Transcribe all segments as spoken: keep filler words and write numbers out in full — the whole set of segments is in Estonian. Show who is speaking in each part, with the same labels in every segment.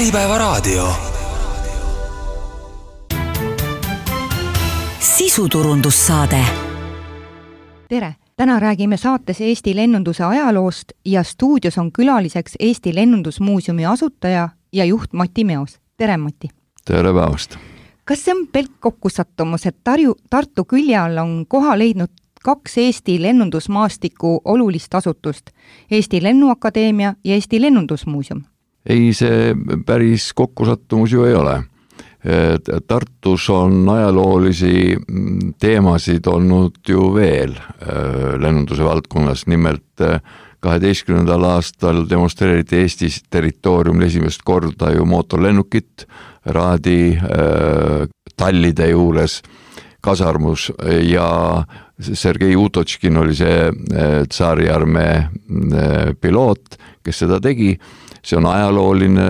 Speaker 1: Äripäevaraadio.
Speaker 2: Sisuturundussaade.
Speaker 3: Tere! Täna räägime saates Eesti lennunduse ajaloost ja stuudios on külaliseks Eesti Lennundusmuuseumi asutaja ja juht Mati Meos. Tere, Mati!
Speaker 4: Tere päevast!
Speaker 3: Kas see on pelk kokkusattumus, et Tarju, Tartu külje all on koha leidnud kaks Eesti lennundusmaastiku olulist asutust, Eesti Lennuakadeemia ja Eesti Lennundusmuuseum?
Speaker 4: Ei, see päris kokkusattumus ju ei ole. Tartus on ajaloolisi teemasid olnud ju veel lennunduse valdkonnas. Nimelt kaheteistkümnendal aastal demonstreeriti Eestis territooriumil esimest korda ju mootorlennukit Raadi tallide juures kasarmus ja Sergei Utočkin oli see tsaariarmee piloot, kes seda tegi. See on ajalooline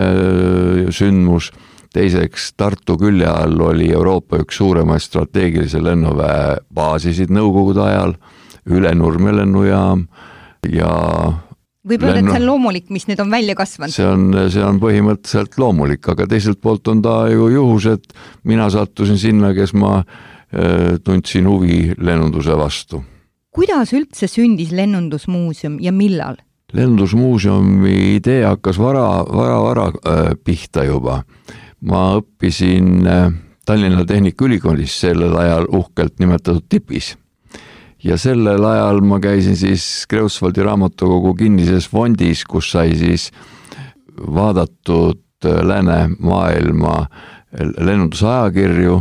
Speaker 4: sündmus. Teiseks, Tartu külje all oli Euroopa üks suuremaid strateegilise lennuväe baasisid nõukogude ajal, üle Nurme lennujaam ja
Speaker 3: võib öelda, lennu... et see on loomulik, mis nüüd on välja kasvanud.
Speaker 4: See on, see on põhimõtteliselt loomulik, aga teiselt poolt on ta ju juhus, et mina sattusin sinna, kes ma äh, tundsin huvi lennunduse vastu.
Speaker 3: Kuidas üldse sündis Lennundusmuuseum ja millal?
Speaker 4: Lennundusmuuseumi idee hakkas vara, vara, vara äh, pihta juba. Ma õppisin äh, Tallinna Tehnikaülikoolis sellel ajal uhkelt nimetatud tipis. Ja sellel ajal ma käisin siis Kreutzwaldi raamatukogu kinnises fondis, kus sai siis vaadatud äh, läänemaailma lennundusajakirju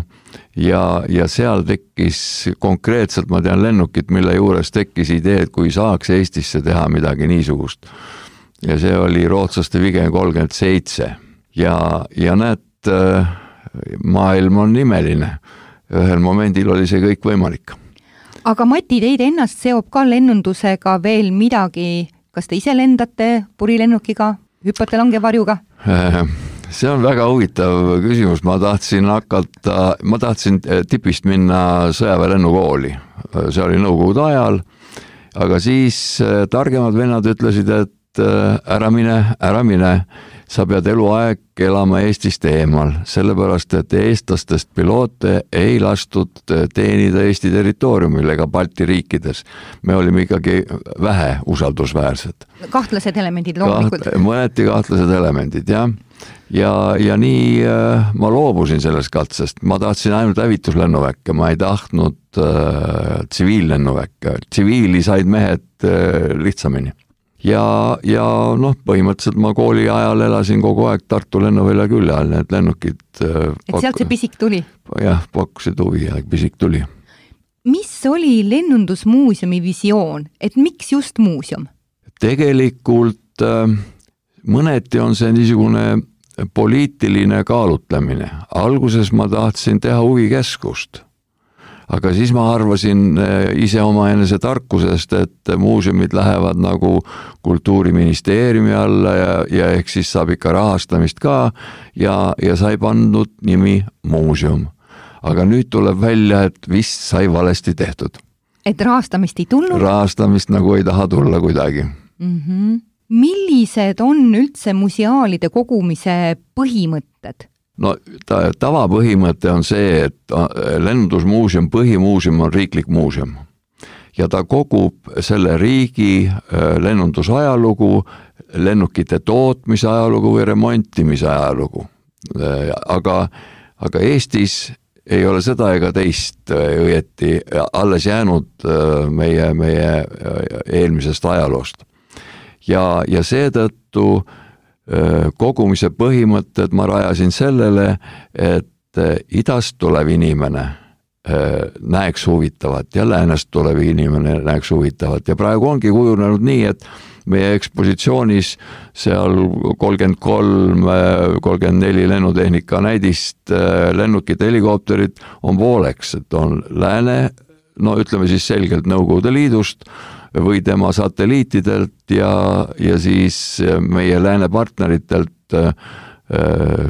Speaker 4: ja, ja seal tekkis konkreetselt, ma tean lennukit, mille juures tekkis idee, et kui saaks Eestisse teha midagi niisugust. Ja see oli rootslaste Viggen kolmkümmend seitse. Ja, ja näed, maailm on imeline. Ühel momendil oli see kõik võimalik.
Speaker 3: Aga Mati, teid ennast seob ka lennundusega veel midagi? Kas te ise lendate purilennukiga, hüppate langevarjuga?
Speaker 4: See on väga huvitav küsimus. Ma tahtsin hakata, ma tahtsin tipist minna sõjaväelennukooli. See oli nõukogude ajal, aga siis targemad vennad ütlesid, et ära mine, ära mine. Sa pead eluaeg elama Eestist eemal, sellepärast, et eestlastest piloote ei lastud teenida Eesti territooriumil ega Balti riikides. Me olime ikkagi vähe usaldusväärsed.
Speaker 3: Kahtlased elemendid loomulikult.
Speaker 4: Kaht, mõneti kahtlased elemendid, jah. Ja, ja nii äh, ma loobusin sellest katsest. Ma tahtsin ainult hävituslennuväkke, ma ei tahtnud äh, tsiviillennuväkke. Tsiviili said mehed äh, lihtsamini. Ja, ja noh, põhimõtteliselt ma kooli ajal elasin kogu aeg Tartu lennuvälja külje all, need lennukid
Speaker 3: et sealt see pisik tuli?
Speaker 4: Jah, pakkusid huvi ja pisik tuli.
Speaker 3: Mis oli Lennundusmuuseumi visioon, et miks just muuseum?
Speaker 4: Tegelikult mõneti on see niisugune poliitiline kaalutlemine. Alguses ma tahtsin teha huvikeskust. Aga siis ma arvasin ise oma enese tarkusest, et muuseumid lähevad nagu kultuuriministeeriumi alla ja, ja ehk siis saab ikka rahastamist ka ja, ja sai pandud nimi muuseum. Aga nüüd tuleb välja, et vist sai valesti tehtud.
Speaker 3: Et rahastamist ei tulnud?
Speaker 4: Rahastamist nagu ei taha tulla kuidagi.
Speaker 3: Mm-hmm. Millised on üldse museaalide kogumise põhimõtted?
Speaker 4: No ta, tavapõhimõte on see, et Lennundusmuuseum, põhimuuseum on riiklik muuseum ja ta kogub selle riigi lennundusajalugu, lennukite tootmise ajalugu või remontimise ajalugu. Aga, aga Eestis ei ole seda ega teist õieti alles jäänud meie, meie eelmisest ajaloost. Ja, ja seetõttu kogumise põhimõtted ma rajasin sellele, et idast tulev inimene näeks huvitavat ja läänest tulev inimene näeks huvitavat. Ja praegu ongi kujunenud nii, et meie ekspositsioonis seal kolmkümmend kolm, kolmkümmend neli lennutehnika näidist, lennukid, helikopterid on pooleks, et on lääne, no ütleme siis selgelt Nõukogude Liidust, või tema satelliitidelt ja, ja siis meie lääne partneritelt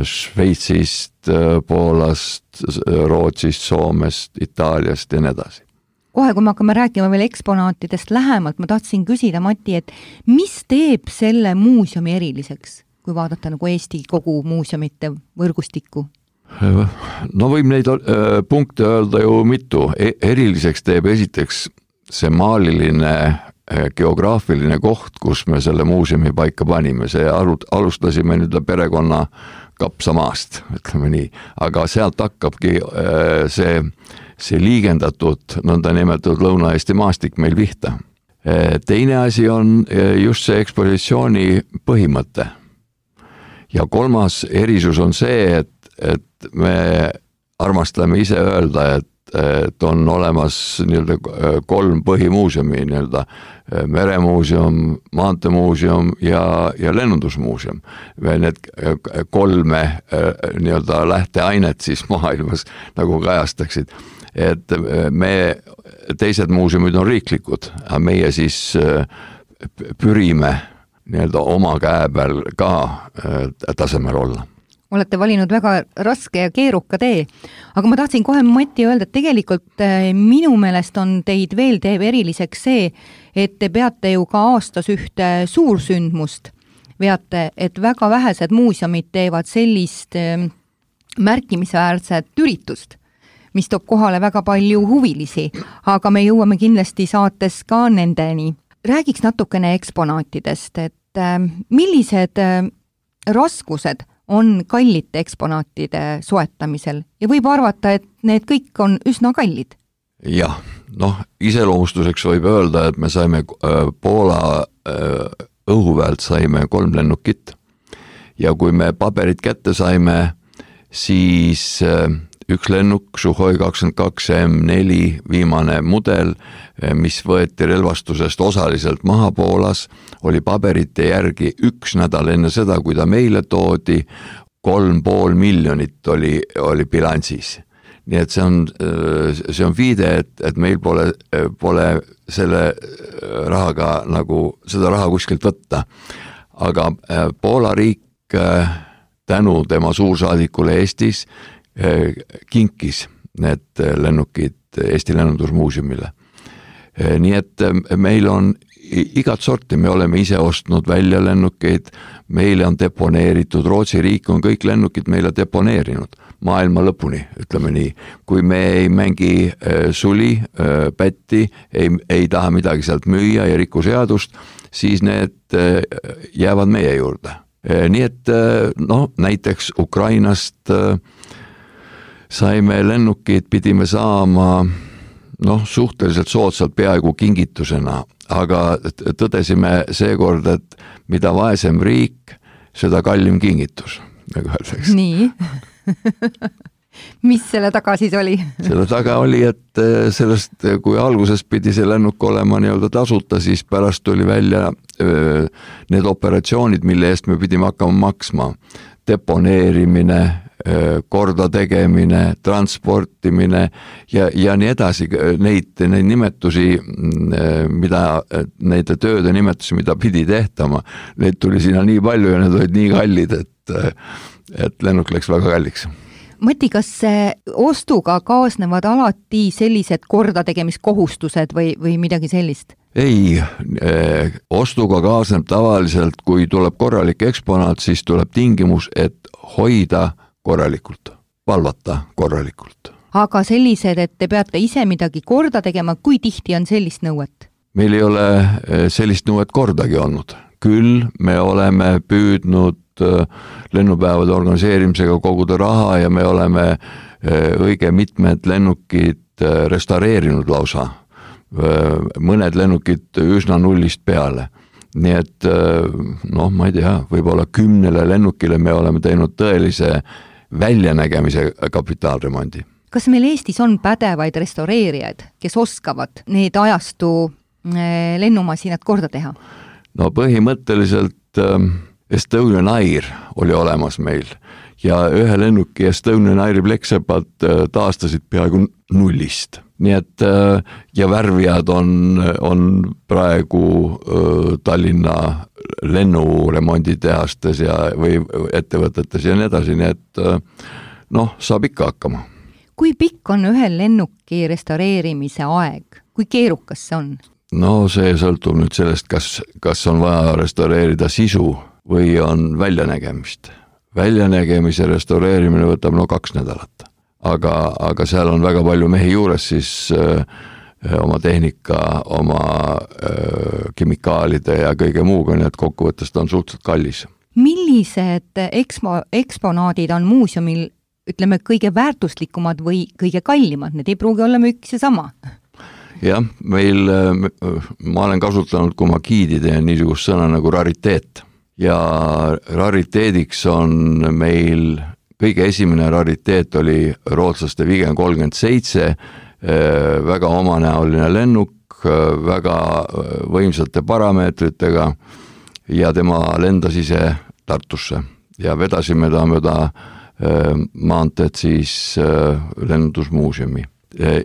Speaker 4: Šveitsist, Poolast, Rootsist, Soomest, Itaaliast ja nii edasi.
Speaker 3: Kohe, kui me hakkame rääkima veel eksponaatidest lähemalt, ma tahtsin küsida, Mati, et mis teeb selle muuseumi eriliseks? kui vaadata nagu Eesti kogu muuseumite võrgustikku?
Speaker 4: No võib neid punkte öelda ju mitu. Eriliseks teeb esiteks see maaliline geograafiline koht, kus me selle muuseumi paika panime. See alustasime nüüd perekonna kapsamaast, ütleme nii. Aga sealt hakkabki see, see liigendatud, nõnda nimetatud Lõuna-Eesti maastik meil pihta. Teine asi on just see ekspositsiooni põhimõte. Ja kolmas erisus on see, et, et me armastame ise öelda, et, et on olemas nii-öelda kolm põhimuuseumi, nii-öelda meremuuseum, maantemuuseum ja, ja lennundusmuuseum. Need kolme nii-öelda lähteainet siis maailmas nagu kajastaksid. Et me, teised muuseumid on riiklikud, aga meie siis pürime nii-öelda oma käe peal ka tasemel olla.
Speaker 3: Olete valinud väga raske ja keeruka tee, aga ma tahtsin kohe Mati öelda, et tegelikult minu meelest on teid veel teeb eriliseks see, et te peate ju ka aastas ühte suursündmust, veate, et väga vähesed muuseumid teevad sellist märkimisväärset üritust, mis toob kohale väga palju huvilisi, aga me jõuame kindlasti saates ka nendeni. Räägiks natukene eksponaatidest, et millised raskused on kallite eksponaatide soetamisel ja võib arvata, et need kõik on üsna kallid.
Speaker 4: Jah, noh, iseloomustuseks võib öelda, et me saime Poola õhuväelt saime kolm lennukit ja kui me paberid kätte saime, siis üks lennuk, Suhoi kakskümmend kaks M neli, viimane mudel, mis võeti relvastusest osaliselt maha Poolas, oli paberite järgi üks nädal enne seda, kui ta meile toodi, kolm pool miljonit oli, oli bilansis. Nii et see on, see on viide, et, et meil pole, pole selle rahaga nagu, seda raha kuskilt võtta. Aga Poola riik tänu tema suursaadikule Eestis kinkis need lennukid Eesti lennundusmuuseumile. Nii et meil on igat sorti, me oleme ise ostnud välja lennukeid, meile on deponeeritud, Rootsi riik on kõik lennukid meile deponeerinud maailma lõpuni, ütleme nii. Kui me ei mängi suli, pätti, ei, ei taha midagi sealt müüa ja riku seadust, siis need jäävad meie juurde. Nii et no, näiteks Ukrainast saime lennukid, pidime saama noh, suhteliselt soodsalt peaaegu kingitusena, aga tõdesime seekord, et mida vaesem riik, seda kallim kingitus. Nagu
Speaker 3: nii. Mis selle taga siis oli?
Speaker 4: Selle taga oli, et sellest, kui alguses pidi see lennuk olema nii-öelda tasuta, siis pärast tuli välja need operatsioonid, mille eest me pidime hakkama maksma. Deponeerimine, korda tegemine, transportimine ja, ja nii edasi, neid, neid nimetusi, mida, neid tööde nimetusi, mida pidi tehtama, neid tuli sinna nii palju ja need olid nii kallid, et, et lennuk läks väga kalliks.
Speaker 3: Mati, kas ostuga kaasnevad alati sellised korda tegemiskohustused või, või midagi sellist?
Speaker 4: Ei, ostuga kaasneb tavaliselt, kui tuleb korralik eksponaat, siis tuleb tingimus, et hoida korralikult, valvata korralikult.
Speaker 3: Aga sellised, et te peate ise midagi korda tegema, kui tihti on sellist nõuet?
Speaker 4: Meil ei ole sellist nõuet kordagi olnud. Küll me oleme püüdnud lennupäevade organiseerimisega koguda raha ja me oleme õige mitmed lennukid restaureerinud lausa. Mõned lennukid üsna nullist peale. Nii et noh, ma ei tea, võib-olla kümnele lennukile me oleme teinud tõelise väljanägemise kapitaalremondi.
Speaker 3: Kas meil Eestis on pädevaid restaureerijaid, kes oskavad need ajastu lennumasinad korda teha?
Speaker 4: No põhimõtteliselt Estonian Air oli olemas meil ja ühe lennuki Estonian Airi pleksepad taastasid peaaegu nullist. Nii et ja värvijad on, on praegu Tallinna lennuremonditehastes ja, või ettevõtetes ja nii edasi, nii et noh, saab ikka hakkama.
Speaker 3: Kui pikk on ühe lennuki restaureerimise aeg? Kui keerukas see on?
Speaker 4: No see sõltub nüüd sellest, kas, kas on vaja restaureerida sisu või on väljanägemist. Väljanägemise restaureerimine võtab no kaks nädalat, aga, aga seal on väga palju mehi juures, siis öö, oma tehnika, oma öö, kemikaalide ja kõige muuga, nii et kokkuvõttes ta on suhteliselt kallis.
Speaker 3: Millised ekspo, eksponaadid on muuseumil, ütleme, kõige väärtuslikumad või kõige kallimad? Need ei pruugi olla üks ja sama.
Speaker 4: Jah, meil, ma olen kasutanud, kui ma giidide niisugust sõna nagu rariteet. Ja rariteediks on meil, kõige esimene rariteet oli rootslaste Viggen kolmkümmend seitse, väga omanäoline lennuk, väga võimsate parameetritega ja tema lendas ise Tartusse ja vedasime ta mööda maanteed siis lennundusmuuseumi.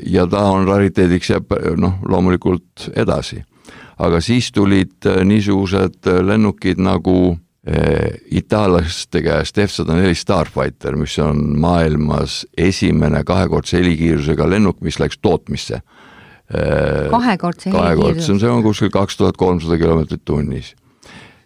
Speaker 4: Ja ta on rariteediks ja noh, loomulikult edasi. Aga siis tulid niisugused lennukid nagu itaallaste käest F sada neli Starfighter, mis on maailmas esimene kahekordse helikiirusega lennuk, mis läks tootmisse.
Speaker 3: Kahekordse helikiirus?
Speaker 4: See on kuskil kaks tuhat kolmsada kilomeetrit tunnis.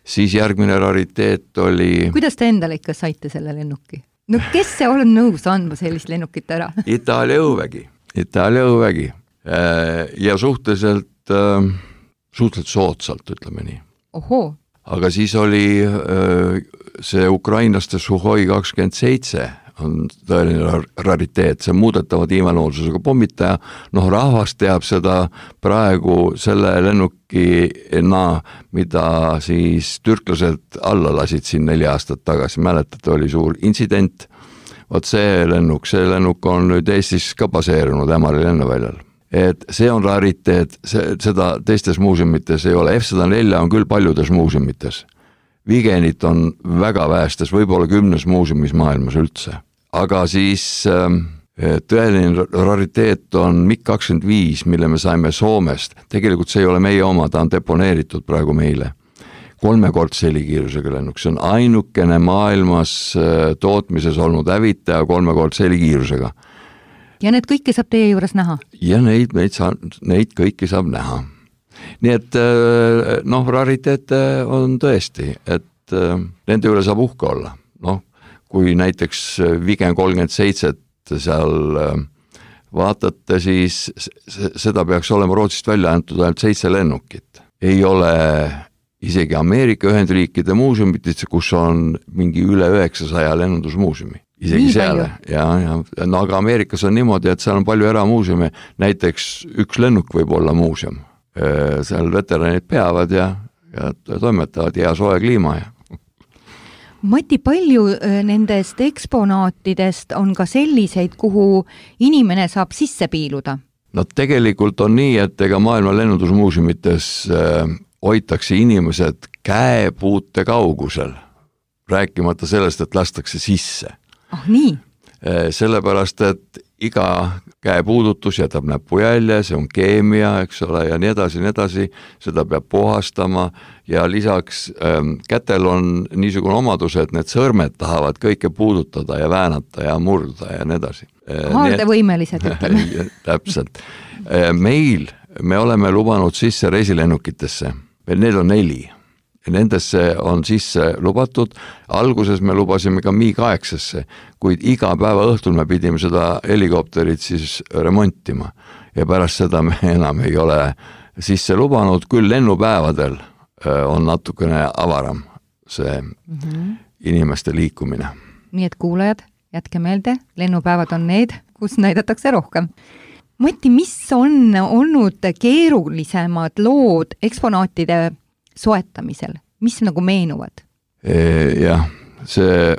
Speaker 4: Siis järgmine rariteet oli...
Speaker 3: Kuidas te endale ikka saite selle lennuki? No kes see on nõus andma sellist lennukit ära?
Speaker 4: Itaalia õuvägi. Itaalia õuvägi. Ja suhteliselt, suhteliselt soodsalt, ütleme nii.
Speaker 3: Ohoo.
Speaker 4: Aga siis oli see ukrainlaste Suhoi kakskümmend seitse on tõeline rariteet, see muudetava tiimeloodususega pommitaja. Noh, rahvas teab seda praegu selle lennukina, mida siis türklased alla lasid siin neli aastat tagasi. Mäletate, oli suur intsident. Vot see lennuk, see lennuk on nüüd Eestis ka baseerunud Ämari lennuväljal. Et see on rariteet, see, seda teistes muuseumites ei ole. F sada neli on küll paljudes muuseumites. Vigenit on väga väestes, võib-olla kümnes muuseumis maailmas üldse. Aga siis tõeline rariteet on MiG kakskümmend viis, mille me saime Soomest. Tegelikult see ei ole meie oma, ta on deponeeritud praegu meile. Kolmekordse helikiirusega lennuk, see on ainukene maailmas tootmises olnud hävitaja kolmekordse helikiirusega.
Speaker 3: Ja need kõiki saab teie juures näha?
Speaker 4: Ja neid, neid, saab, neid kõiki saab näha. Nii et noh, rariteete on tõesti, et nende üle saab uhke olla. Noh, kui näiteks Viggen kolmkümmend seitse seal vaatate, siis seda peaks olema Rootsist välja antud ainult seitse lennukit. Ei ole isegi Ameerika Ühendriikide muuseumitis, kus on mingi üle üheksasaja lennundusmuuseumi. Isegi seal, ja, ja, no aga Ameerikas on niimoodi, et seal on palju eramuuseumi, näiteks üks lennuk võib olla muuseum. Seal veteranid peavad ja, ja toimetavad hea soe kliima. Ja.
Speaker 3: Mati, palju nendest eksponaatidest on ka selliseid, kuhu inimene saab sisse piiluda?
Speaker 4: No tegelikult on nii, et ega maailma lennundusmuuseumites hoitakse inimesed käepuute kaugusel, rääkimata sellest, et lastakse sisse.
Speaker 3: Ah, nii?
Speaker 4: Sellepärast, et iga käepuudutus jätab näpujälje, see on keemia, eks ole, ja nii edasi, nii edasi, seda peab puhastama ja lisaks ähm, kätel on niisugune omadus, et need sõrmed tahavad kõike puudutada ja väänata ja murda ja nii edasi.
Speaker 3: Haardevõimelised, ütleme.
Speaker 4: Täpselt. Meil, me oleme lubanud sisse reisilennukitesse, need on neli. Nendesse on sisse lubatud, alguses me lubasime ka MiG kaheksa, kuid iga päeva õhtul me pidime seda helikopterit siis remontima ja pärast seda me enam ei ole sisse lubanud, küll lennupäevadel on natukene avaram see mm-hmm. inimeste liikumine.
Speaker 3: Nii et kuulajad, jätke meelde, lennupäevad on need, kus näidatakse rohkem. Mati, mis on olnud keerulisemad lood eksponaatide soetamisel, mis nagu meenuvad?
Speaker 4: Jah, see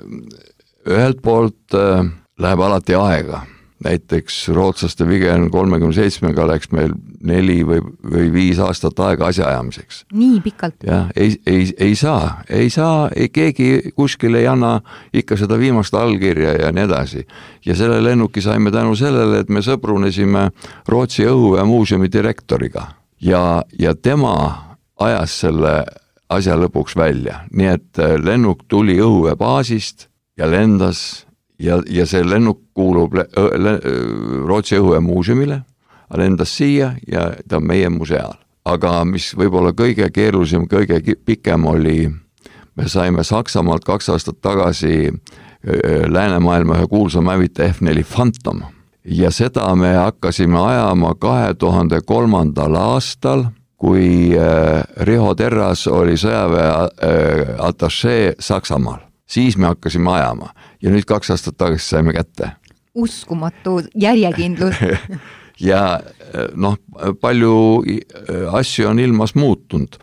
Speaker 4: ühelt poolt läheb alati aega. Näiteks rootslaste Viggen kolmekümne seitsmega läks meil neli või, või viis aastat aega asjaajamiseks.
Speaker 3: Nii pikalt?
Speaker 4: Ja, ei, ei, ei saa, ei saa, ei, keegi kuskil ei anna ikka seda viimast allkirja ja nii edasi. Ja selle lennuki saime tänu sellele, et me sõbrunesime Rootsi õhu- ja muuseumi direktoriga ja, ja tema ajas selle asja lõpuks välja. Nii et lennuk tuli õhuvebaasist ja lendas ja, ja see lennuk kuulub le, le, Rootsi õhu- ja muuseumile, lendas siia ja ta on meie museaal. Aga mis võib-olla kõige keerulisem, kõige pikem oli me saime Saksamaalt kaks aastat tagasi läänemaailma ühe kuulsa mävita F neli Phantom ja seda me hakkasime ajama kahe tuhande kolmandal aastal, kui Riho Terras oli sõjaväe atašee Saksamaal. Siis me hakkasime ajama ja nüüd kaks aastat tagasi saime kätte.
Speaker 3: Uskumatu järjekindlus.
Speaker 4: Ja noh, palju asju on ilmas muutunud.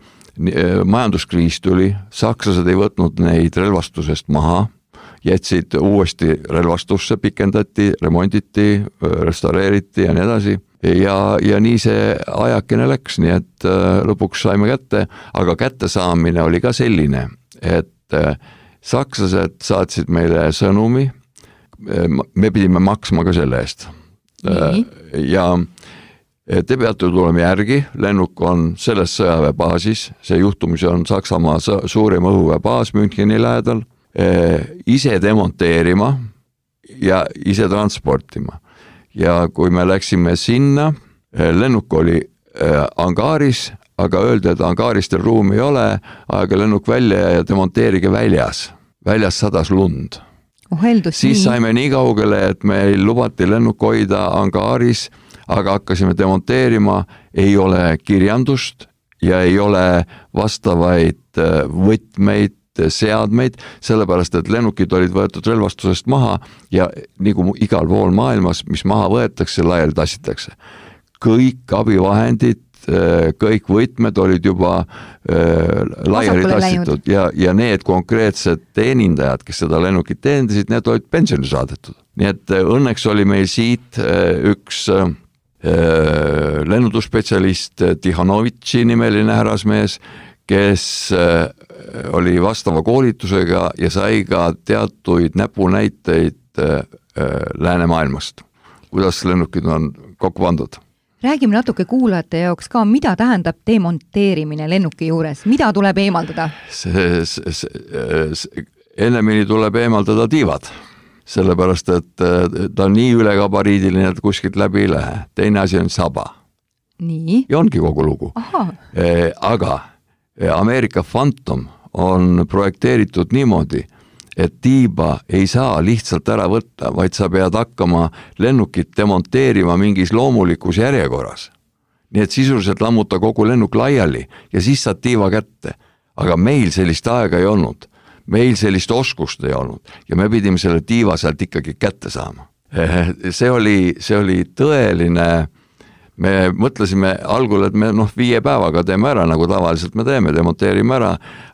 Speaker 4: Majanduskriis tuli, sakslased ei võtnud neid relvastusest maha, jätsid uuesti relvastusse, pikendati, remonditi, restaureeriti ja nii edasi. Ja, ja nii see ajakene läks, nii et lõpuks saime kätte, aga kätte saamine oli ka selline, et sakslased saatsid meile sõnumi, me pidime maksma ka selle eest. Nii. Ja te peate tulema järgi, lennuk on selles sõjaväebaasis, see juhtumis on Saksamaa suurim õhuväebaas Müncheni lähedal, ise demonteerima ja ise transportima. Ja kui me läksime sinna, lennuk oli angaaris, aga öeldi, et angaaristel ruumi ei ole, aega lennuk välja ja demonteerige väljas. Väljas sadas lund.
Speaker 3: Oh, heldus,
Speaker 4: siis
Speaker 3: nii.
Speaker 4: saime nii kaugele, et meil lubati lennuk hoida angaaris, aga hakkasime demonteerima, ei ole kirjandust ja ei ole vastavaid võtmeid, seadmeid, sellepärast, et lennukid olid võetud relvastusest maha ja nagu igal pool maailmas, mis maha võetakse, laiali tassitakse. Kõik abivahendid, kõik võtmed olid juba äh, laiali tassitud ja, ja need konkreetsed teenindajad, kes seda lennukit teenindasid, need olid pensioni saadetud. Nii et õnneks oli meil siit äh, üks äh, lennundusspetsialist Tihanovitši nimeline härrasmees, kes äh, oli vastava koolitusega ja sai ka teatuid näpunäiteid äh, läänemaailmast, kuidas lennukid on kokku pandud.
Speaker 3: Räägime natuke kuulajate jaoks ka, mida tähendab demonteerimine lennuki juures, mida tuleb eemaldada?
Speaker 4: See, see, see, ennemini tuleb eemaldada tiivad, sellepärast, et ta on nii ülekabariidiline, et kuskilt läbi ei lähe. Teine asi on saba.
Speaker 3: Nii?
Speaker 4: Ja ongi kogu lugu. E, aga Ameerika Phantom on projekteeritud niimoodi, et tiiba ei saa lihtsalt ära võtta, vaid sa pead hakkama lennukit demonteerima mingis loomulikus järjekorras. Nii et sisuliselt lammuta kogu lennuk laiali ja siis saad tiiva kätte. Aga meil sellist aega ei olnud. Meil sellist oskust ei olnud ja me pidime selle tiiva sealt ikkagi kätte saama. See oli, see oli tõeline, me mõtlesime algul, et me noh, viie päevaga teeme ära, nagu tavaliselt me teeme, demonteerime ära,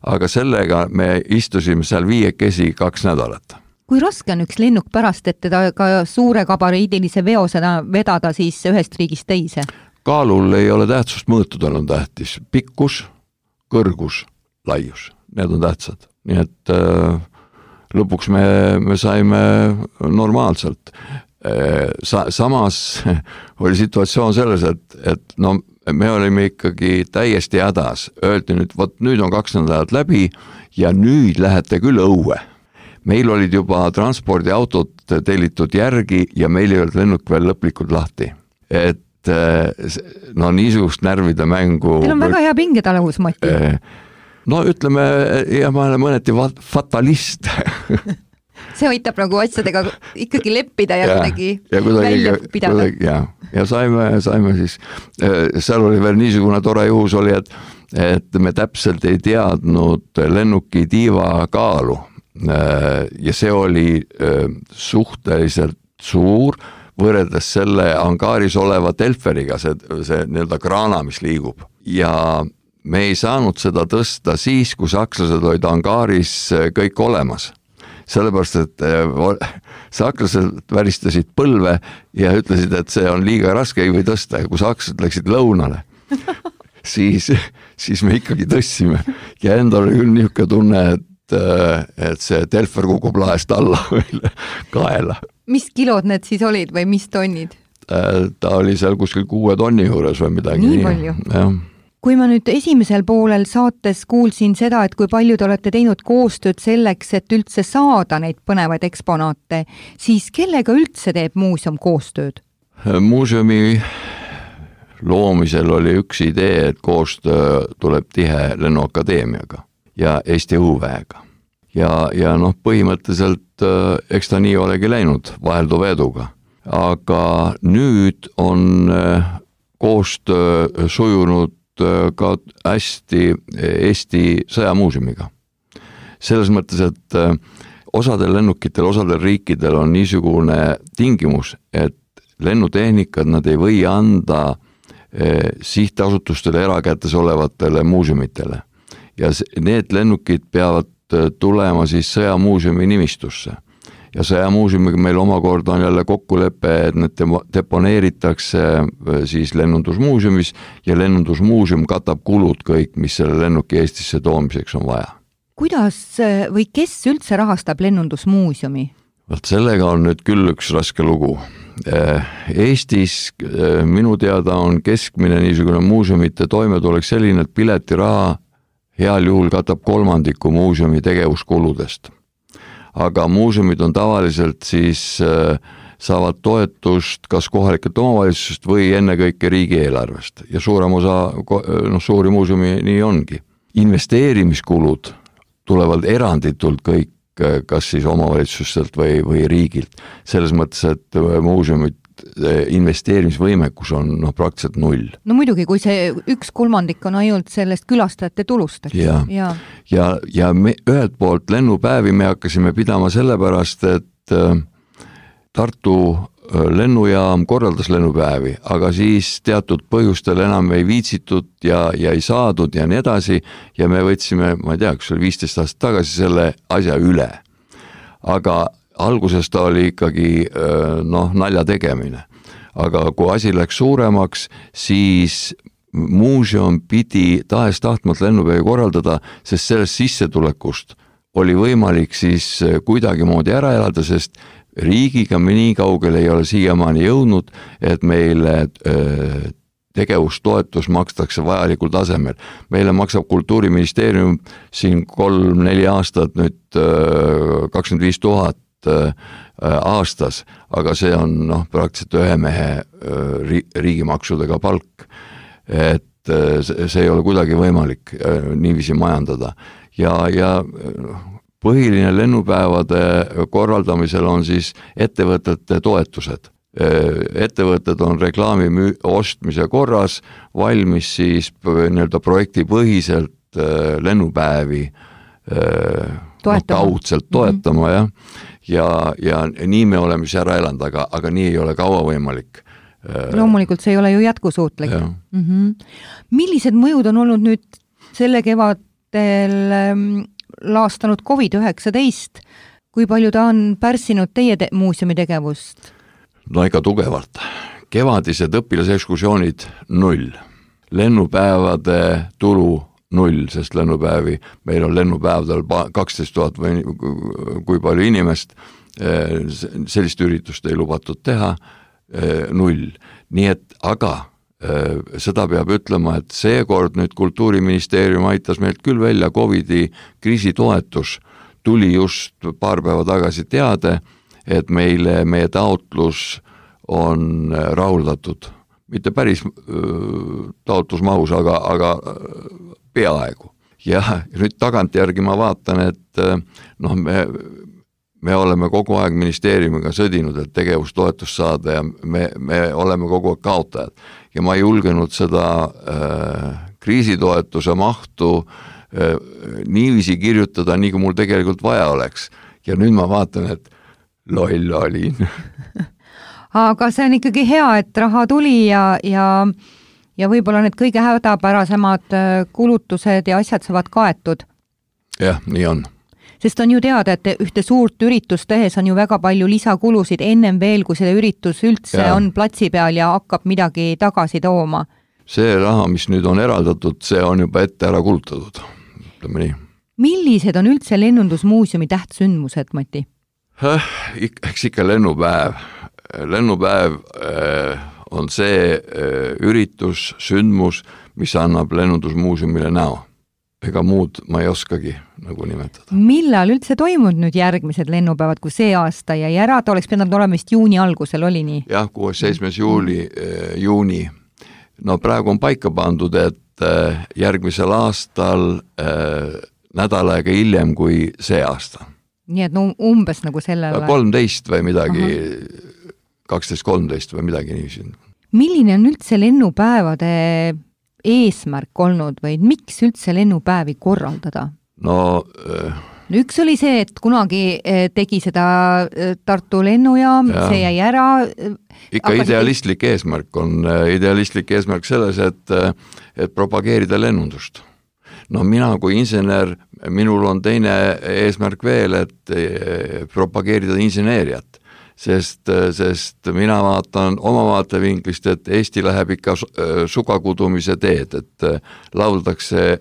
Speaker 4: aga sellega me istusime seal viiekesi kaks nädalat.
Speaker 3: Kui raske on üks lennuk pärast, et teda ka suure kabariidilise veo seda vedada siis ühest riigist teise?
Speaker 4: Kaalul ei ole tähtsust, mõõtudel on tähtis. Pikkus, kõrgus, laius. Need on tähtsad. Nii et äh, lõpuks me, me saime normaalselt. Sa, samas oli situatsioon selles, et, et no, me olime ikkagi täiesti hädas. Öeldi nüüd, võt, nüüd on kaks nädalat läbi ja nüüd lähete küll õue. Meil olid juba transpordiautot tellitud järgi ja meil ei olnud lennuk veel lõplikult lahti. Et no niisugust närvide mängu...
Speaker 3: Teil on väga hea pingetalevus, Mati.
Speaker 4: No ütleme, ja ma olen mõneti fatalist.
Speaker 3: See aitab nagu asjadega ikkagi leppida ja, ja kuidagi
Speaker 4: ja kuidagi,
Speaker 3: välja pidada.
Speaker 4: Kuidagi, ja, ja saime, saime siis, seal oli veel niisugune tore juhus oli, et, et me täpselt ei teadnud lennuki tiiva kaalu ja see oli suhteliselt suur võrreldes selle angaaris oleva Telferiga, see, see nii-öelda kraana, mis liigub ja me ei saanud seda tõsta siis, kui sakslased olid angaaris kõik olemas. Sellepärast, et sakslased väristasid põlve ja ütlesid, et see on liiga raske, ei või tõsta. Ja kui sakslased läksid lõunale, siis, siis me ikkagi tõstsime. Ja endal oli küll niisugune tunne, et, et see Telfer kukub laest alla meile kaela.
Speaker 3: Mis kilod need siis olid või mis tonnid?
Speaker 4: Ta oli seal kuskil kuue tonni juures või midagi.
Speaker 3: Nii, nii palju?
Speaker 4: Jah.
Speaker 3: Kui ma nüüd esimesel poolel saates kuulsin seda, et kui palju te olete teinud koostööd selleks, et üldse saada neid põnevaid eksponaate, siis kellega üldse teeb muuseum koostööd?
Speaker 4: Muuseumi loomisel oli üks idee, et koostöö tuleb tihe Lennuakadeemiaga. ja Eesti õhuväega. Ja, ja noh, põhimõtteliselt eks ta nii olegi läinud vahelduva eduga. Aga nüüd on koostöö sujunud ka hästi Eesti sõjamuuseumiga. Selles mõttes, et osadel lennukitel, osadel riikidel on niisugune tingimus, et lennutehnikad nad ei või anda sihtasutustele erakätes olevatele muuseumitele. Ja need lennukid peavad tulema siis sõjamuuseumi nimistusse. Ja sõjamuuseumiga meil omakorda on jälle kokkulepe, et need deponeeritakse siis lennundusmuuseumis ja lennundusmuuseum katab kulud kõik, mis selle lennuki Eestisse toomiseks on vaja.
Speaker 3: Kuidas või kes üldse rahastab lennundusmuuseumi?
Speaker 4: Võt sellega on nüüd küll üks raske lugu. Eestis minu teada on keskmine niisugune muuseumite toimetulek selline, et piletiraha heal juhul katab kolmandiku muuseumi tegevuskuludest. Aga muuseumid on tavaliselt siis saavad toetust kas kohalikelt omavalitsusest või ennekõike riigieelarvest. Ja suurem osa, noh, suuri muuseumi nii ongi. Investeerimiskulud tulevad eranditult kõik, kas siis omavalitsustelt või, või riigilt. Selles mõttes, et muuseumid investeerimisvõimekus on noh, praktiliselt null.
Speaker 3: No muidugi, kui see üks kolmandik on ainult sellest külastajate tulust.
Speaker 4: Ja, ja, ja, ja me, ühelt poolt lennupäevi me hakkasime pidama sellepärast, et Tartu lennujaam korraldas lennupäevi, aga siis teatud põhjustel enam ei viitsitud ja, ja ei saadud ja nii edasi ja me võtsime, ma ei tea, kus oli viisteist aastat tagasi selle asja üle. Aga alguses ta oli ikkagi noh, nalja tegemine. Aga kui asi läks suuremaks, siis muuseum pidi tahes tahtmalt lennupäevi korraldada, sest sellest sissetulekust oli võimalik siis kuidagi moodi ära elada, sest riigiga me nii kaugele ei ole siiamaani jõudnud, et meile tegevustoetus makstakse vajalikul tasemel. Meile maksab Kultuuriministeerium siin kolm-neli aastat nüüd kakskümmend viis tuhat aastas, aga see on noh, praktiliselt ühe mehe riigimaksudega palk, et see ei ole kuidagi võimalik niiviisi majandada. Ja, ja põhiline lennupäevade korraldamisel on siis ettevõtete toetused. Ettevõtted on reklaami ostmise korras valmis siis nii-öelda projektipõhiselt lennupäevi no, kaudselt toetama mm-hmm. ja, ja, ja nii me oleme siis ära elanud, aga, aga nii ei ole kaua võimalik.
Speaker 3: Loomulikult see ei ole ju jätkusuutlik. Mm-hmm. Millised mõjud on olnud nüüd selle kevadel laastanud covid üheksateist, kui palju ta on pärssinud teie te- muuseumi tegevust?
Speaker 4: No ega tugevalt. Kevadised õpilasekskursioonid null. Lennupäevade tulu null, sest lennupäevi, meil on lennupäevadel kaksteist tuhat või kui palju inimest, sellist üritust ei lubatud teha, null. Nii et aga seda peab ütlema, et seekord nüüd Kultuuriministeerium aitas meilt küll välja Covidi kriisitoetus, tuli just paar päeva tagasi teade, et meile meie taotlus on rahuldatud. Mitte päris taotlusmahus, aga, aga peaaegu. Ja nüüd tagantjärgi ma vaatan, et noh, me Me oleme kogu aeg ministeeriumiga sõdinud, et tegevustoetust saada ja me, me oleme kogu aeg kaotajad. Ja ma ei julgenud seda äh, kriisitoetuse mahtu äh, niiviisi kirjutada, nii kui mul tegelikult vaja oleks. Ja nüüd ma vaatan, et loll olin.
Speaker 3: Aga see on ikkagi hea, et raha tuli ja, ja, ja võib-olla need kõige hädapärasemad kulutused ja asjad saavad kaetud.
Speaker 4: Jah, nii on.
Speaker 3: Sest on ju teada, et ühte suurt üritust tehes on ju väga palju lisakulusid ennem veel, kui see üritus üldse ja. On platsi peal ja hakkab midagi tagasi tooma.
Speaker 4: See raha, mis nüüd on eraldatud, see on juba ette ära kulutatud. Ütleme nii.
Speaker 3: Millised on üldse lennundusmuuseumi tähtsündmused, Mati?
Speaker 4: Eks ikka lennupäev. Lennupäev on see üritus, sündmus, mis annab lennundusmuuseumile näo. Ega muud ma ei oskagi nagu nimetada.
Speaker 3: Millal üldse toimud nüüd järgmised lennupäevad, kui see aasta jäi ära, ta oleks pidanud olema vist juuni algusel, oli nii?
Speaker 4: Jah, kuues seitsmes juuli, juuni. No praegu on paika pandud, et järgmisel aastal nädal aega hiljem kui see aasta.
Speaker 3: Nii et no umbes nagu sellel
Speaker 4: kolmteist või midagi, kaksteist kolmteist või midagi nii.
Speaker 3: Milline on üldse lennupäevade eesmärk olnud või miks üldse lennupäevi korraldada?
Speaker 4: No äh,
Speaker 3: üks oli see, et kunagi tegi seda Tartu lennujaam, see jäi ära.
Speaker 4: Ikka aga idealistlik see... eesmärk on, idealistlik eesmärk selles, et, et propageerida lennundust. No mina kui insener, minul on teine eesmärk veel, et propageerida inseneeriat. Sest, sest mina vaatan oma vaatevinklist, et Eesti läheb ikka sugakudumise teed, et lauldakse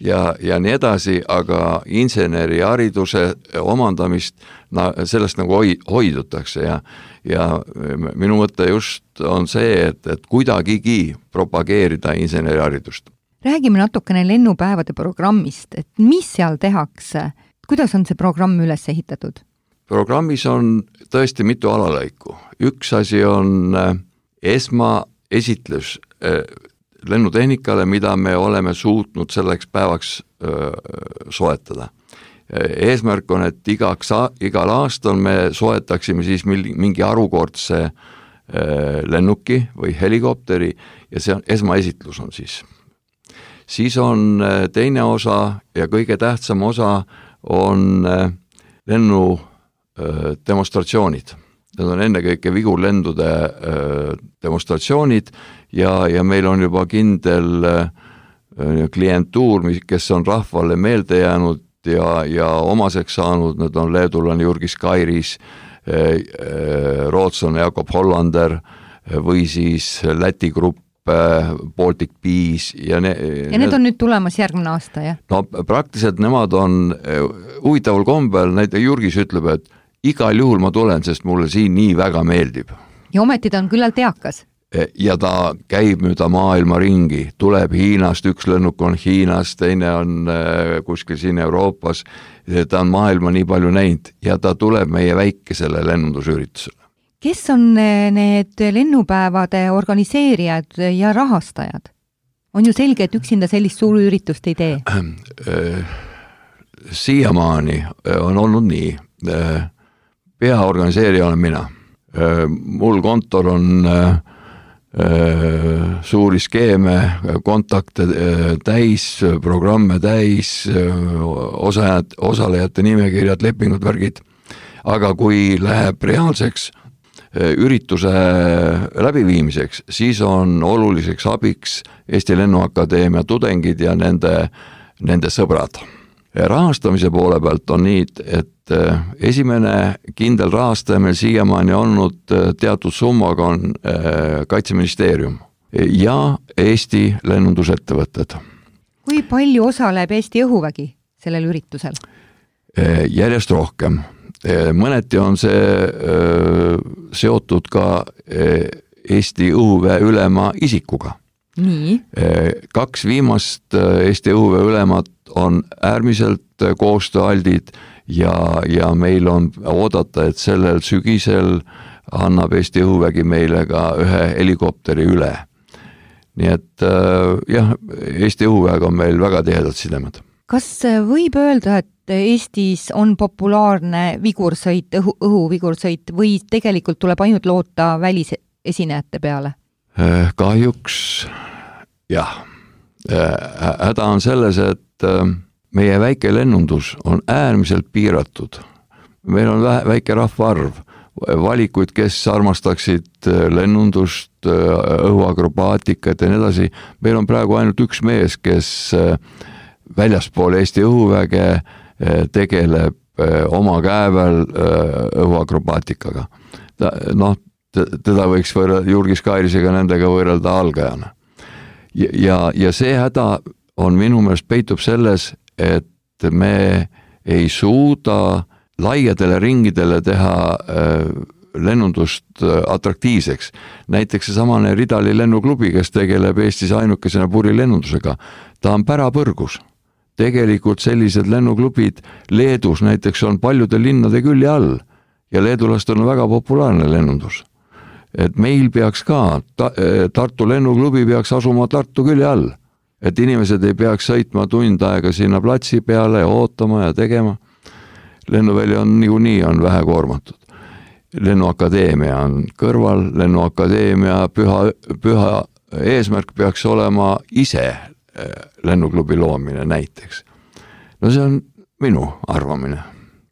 Speaker 4: ja, ja nii edasi, aga inseneri hariduse omandamist, no, sellest nagu hoidutakse ja, ja minu mõte just on see, et, et kuidagigi propageerida inseneri haridust.
Speaker 3: Räägime natukene lennupäevade programmist, et mis seal tehakse, kuidas on see programm üles ehitatud?
Speaker 4: Programmis on tõesti mitu alalõiku. Üks asi on esmaesitlus lennutehnikale, mida me oleme suutnud selleks päevaks soetada. Eesmärk on, et igaks, igal aastal me soetaksime siis mingi harukordse lennuki või helikopteri ja see on, esmaesitlus on siis. Siis on teine osa ja kõige tähtsam osa on lennu demonstratsioonid. Need on ennekõike vigurlendude demonstratsioonid ja, ja meil on juba kindel klientuur, kes on rahvale meelde jäänud ja, ja omaseks saanud, need on leedulane Jurgis Kairis, rootslane Jakob Hollander või siis Läti grupp Baltic Bees ja, ne,
Speaker 3: ja need on nüüd tulemas järgmine aasta, jah?
Speaker 4: No praktiliselt nemad on huvitaval kombel, näiteks Jurgis ütleb, et igal juhul ma tulen, sest mulle siin nii väga meeldib.
Speaker 3: Ja ometi ta on küllalt eakas.
Speaker 4: Ja ta käib mööda maailma ringi, tuleb Hiinast, üks lennuk on Hiinast, teine on kuskil siin Euroopas, ta on maailma nii palju näinud ja ta tuleb meie väikesele lennundusüritusele.
Speaker 3: Kes on need lennupäevade organiseerijad ja rahastajad? On ju selge, et üksinda sellist suuri üritust ei tee. Siiamaani on olnud nii. Peaorganiseerija olen mina. Mul kontor on suuri skeeme, kontakte täis, programme täis, osajad, osalejate nimekirjad, lepingud, värgid. Aga kui läheb reaalseks ürituse läbiviimiseks, siis on oluliseks abiks Eesti Lennuakadeemia tudengid ja nende, nende sõbrad. Rahastamise poole pealt on nii, et esimene kindel rahastaja meil siiamaani olnud teatud summaga on Kaitseministeerium ja Eesti lennundusettevõtted. Kui palju osaleb Eesti õhuvägi sellel üritusel?
Speaker 4: Järjest rohkem. Mõneti on see seotud ka Eesti õhuväe ülema isikuga.
Speaker 3: Nii.
Speaker 4: Kaks viimast Eesti õhuväe ülemat on äärmiselt koostööaldid ja, ja meil on oodata, et sellel sügisel annab Eesti õhuvägi meile ka ühe helikopteri üle. Nii et jah, Eesti õhuväega on meil väga tihedad sidemed.
Speaker 3: Kas võib öelda, et Eestis on populaarne vigursõit, õhu, õhuvigursõit või tegelikult tuleb ainult loota välisesinejate peale?
Speaker 4: Kahjuks jah. Häda on selles, et meie väike lennundus on äärmiselt piiratud. Meil on väike rahvaarv, valikuid, kes armastaksid lennundust, õhuakrobaatikat ja nii edasi. Meil on praegu ainult üks mees, kes väljaspool Eesti õhuväge tegeleb oma käevel õhuakrobaatikaga. Ta, noh, teda võiks võrrelda Jurgis Kairisega nendega võrrelda algajana. Ja, ja, ja see häda on minu meelest peitub selles, et me ei suuda laiadele ringidele teha lennundust atraktiivseks. Näiteks see samane Ridali lennuklubi, kes tegeleb Eestis ainukesena purilennundusega, ta on pärapõrgus. Tegelikult sellised lennuklubid Leedus näiteks on paljude linnade külje all ja leedulastel on väga populaarne lennundus. Et meil peaks ka, Tartu lennuklubi peaks asuma Tartu külje all et inimesed ei peaks sõitma tund aega sinna platsi peale ja ootama ja tegema. Lennuväli on niikuinii on vähe koormatud. Lennuakadeemia on kõrval, lennuakadeemia püha, püha eesmärk peaks olema ise lennuklubi loomine näiteks. No see on minu arvamine.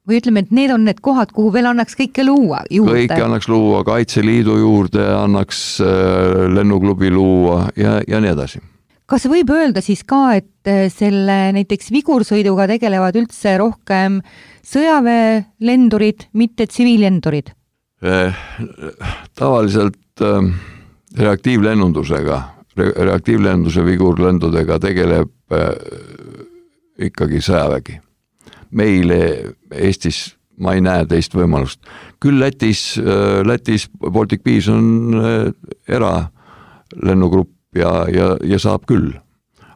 Speaker 3: Või ütleme, et need on need kohad, kuhu veel annaks kõike luua juurde.
Speaker 4: Kõike annaks luua, Kaitseliidu juurde annaks lennuklubi luua ja, ja nii edasi.
Speaker 3: Kas võib öelda siis ka, et selle näiteks vigursõiduga tegelevad üldse rohkem sõjaväelendurid, mitte tsiviillendurid?
Speaker 4: Eh, tavaliselt eh, reaktiivlennundusega, re, reaktiivlennunduse vigurlendudega tegeleb eh, ikkagi sõjavägi. Meile Eestis ma ei näe teist võimalust. Küll Lätis, Lätis Baltic Bees on eralennugrupp ja, ja, ja saab küll.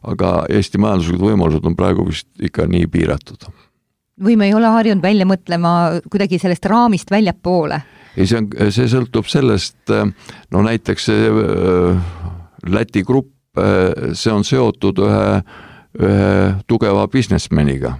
Speaker 4: Aga Eesti majanduslikud võimalused on praegu vist ikka nii piiratud.
Speaker 3: Või me ei ole harjunud välja mõtlema kuidagi sellest raamist väljapoole?
Speaker 4: Ei, see, on, see sõltub sellest, no näiteks Läti grupp, see on seotud ühe, ühe tugeva businessmaniga,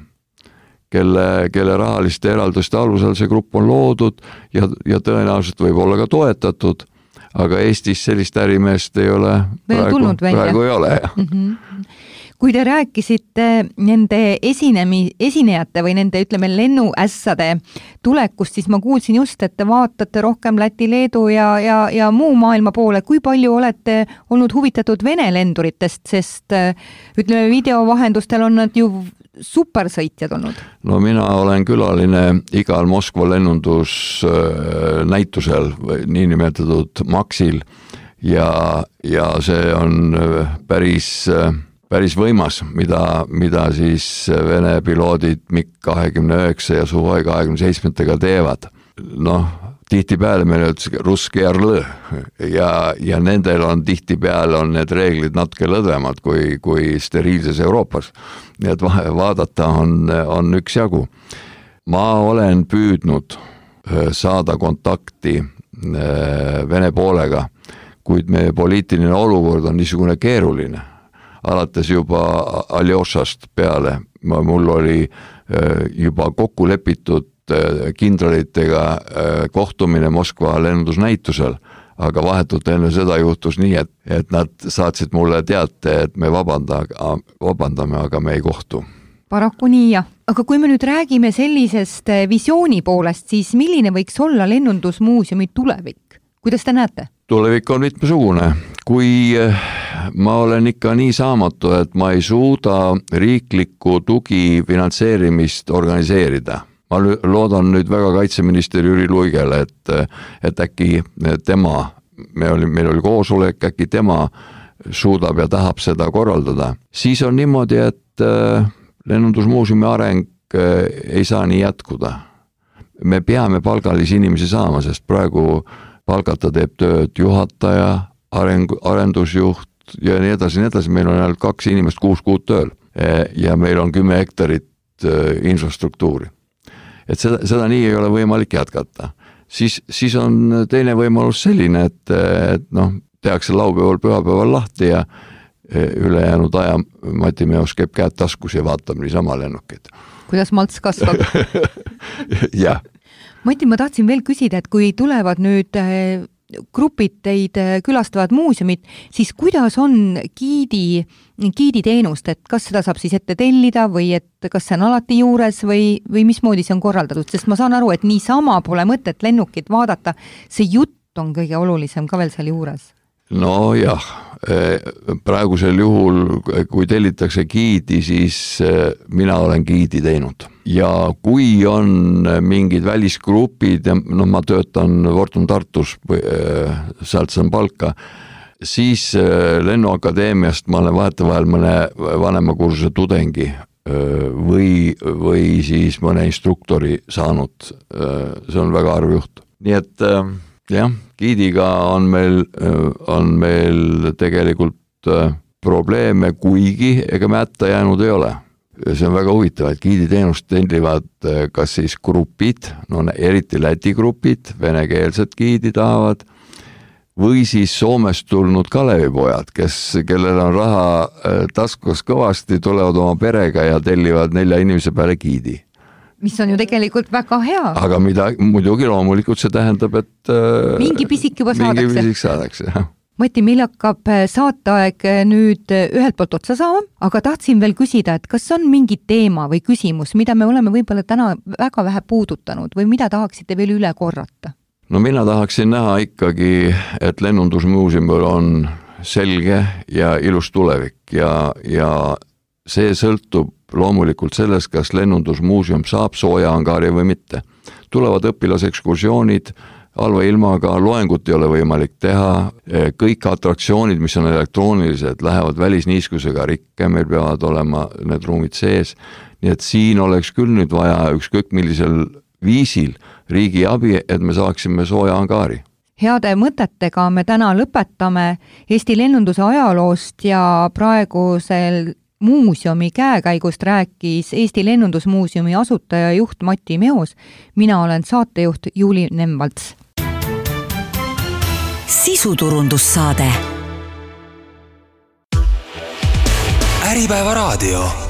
Speaker 4: kelle, kelle rahaliste eralduste alusel see grupp on loodud ja, ja tõenäoliselt võib olla ka toetatud, aga Eestis sellist ärimeest ei ole, praegu, praegu ei ole.
Speaker 3: Mm-hmm. Kui te rääkisite nende esinemi, esinejate või nende, ütleme, lennuässade tulekust, siis ma kuulsin just, et te vaatate rohkem Läti, Leedu ja, ja, ja muu maailma poole. Kui palju olete olnud huvitatud Vene lenduritest, sest ütleme, videovahendustel on nad ju supersõitjad olnud? No
Speaker 4: mina olen külaline igal Moskva lennundus näitusel, niinimetatud Maxil ja, ja see on päris, päris võimas, mida, mida siis Vene piloodid MiG kakskümmend üheksa ja Suhoi kakskümmend seitse teevad. Noh, tihtipeale meil on russki arlõ ja, ja nendel on tihtipeale on need reeglid natuke lõdvemad kui, kui steriilses Euroopas. Nii et vaadata on, on üks jagu. Ma olen püüdnud saada kontakti Vene poolega, kuid meie poliitiline olukord on niisugune keeruline. Alates juba Aljošast peale, mul oli juba kokku lepitud kindralitega kohtumine Moskva lennundusnäitusel, aga vahetult enne seda juhtus nii, et, et nad saatsid mulle teate, et me vabanda, vabandame, aga me ei kohtu.
Speaker 3: Paraku nii, jah. Aga kui me nüüd räägime sellisest visiooni poolest, siis milline võiks olla lennundusmuuseumi tulevik? Kuidas te näete?
Speaker 4: Tulevik on mitmesugune. Kui ma olen ikka nii saamatu, et ma ei suuda riiklikku tugi finantseerimist organiseerida. Ma loodan nüüd väga kaitseminister Jüri Luigele, et, et äkki tema, me oli, meil oli koosolek, äkki tema suudab ja tahab seda korraldada. Siis on niimoodi, et lennundusmuuseumi areng ei saa nii jätkuda. Me peame palgalisi inimesi saama, sest praegu palgata teeb tööd juhataja, areng, arendusjuht ja nii edasi, nii edasi. Meil on ainult kaks inimest kuus kuud tööl ja meil on kümme hektarit infrastruktuuri. Et seda, seda nii ei ole võimalik jätkata. Siis, siis on teine võimalus selline, et, et noh, tehakse laupäeval, pühapäeval lahti ja ülejäänud aja Mati Meos käib käed taskus ja vaatab niisama lennukid.
Speaker 3: Kuidas malts kasvab?
Speaker 4: Jah.
Speaker 3: Mati, ma tahtsin veel küsida, et kui tulevad nüüd grupid teid külastavad muuseumid, siis kuidas on giidi, giiditeenust, et kas seda saab siis ette tellida või et kas see on alati juures või, või mismoodi see on korraldatud, sest ma saan aru, et niisama pole mõtet lennukit vaadata, see jutt on kõige olulisem ka veel seal juures.
Speaker 4: No jah, praegusel juhul, kui tellitakse giidi, siis mina olen giidi teinud. Ja kui on mingid välisgrupid, no ma töötan Fortum Tartus, sealt saan palka, siis Lennuakadeemiast ma olen vahetevahel mõne vanemakursuse tudengi või, või siis mõne instruktori saanud. See on väga arv juht. Nii et jah, giidiga on meil, on meil tegelikult probleeme, kuigi ega me hätta jäänud ei ole. See on väga huvitav, et giiditeenust tellivad kas siis grupid, no eriti Läti grupid, venekeelsed giidi tahavad, või siis Soomest tulnud Kalevipojad, kes, kellel on raha taskus kõvasti, tulevad oma perega ja tellivad nelja inimese peale giidi.
Speaker 3: Mis on ju tegelikult väga hea.
Speaker 4: Aga mida, muidugi loomulikult see tähendab, et
Speaker 3: mingi pisik juba
Speaker 4: mingi
Speaker 3: saadakse.
Speaker 4: Mingi pisik saadakse, jah.
Speaker 3: Mati, meil hakkab saateaeg nüüd ühelt poolt otsa saama, aga tahtsin veel küsida, et kas on mingi teema või küsimus, mida me oleme võib-olla täna väga vähe puudutanud või mida tahaksite veel üle korrata?
Speaker 4: No mina tahaksin näha ikkagi, et lennundusmuuseumil on selge ja ilus tulevik ja, ja see sõltub loomulikult sellest, kas lennundusmuuseum saab sooja angaari või mitte. Tulevad õpilasekskursioonid, halva ilmaga, loengut ei ole võimalik teha, kõik atraktsioonid, mis on elektroonilised, lähevad välisniiskusega rikke, meil peavad olema need ruumid sees, nii et siin oleks küll nüüd vaja ükskõik millisel viisil riigi abi, et me saaksime sooja angaari.
Speaker 3: Heade mõtetega me täna lõpetame Eesti lennunduse ajaloost ja praegusel muuseumi käekäigust rääkis Eesti Lennundusmuuseumi asutaja juht Mati Meos. Mina olen saatejuht Juuli Nemvalts.
Speaker 2: Sisuturundussaade.
Speaker 1: Äripäeva raadio.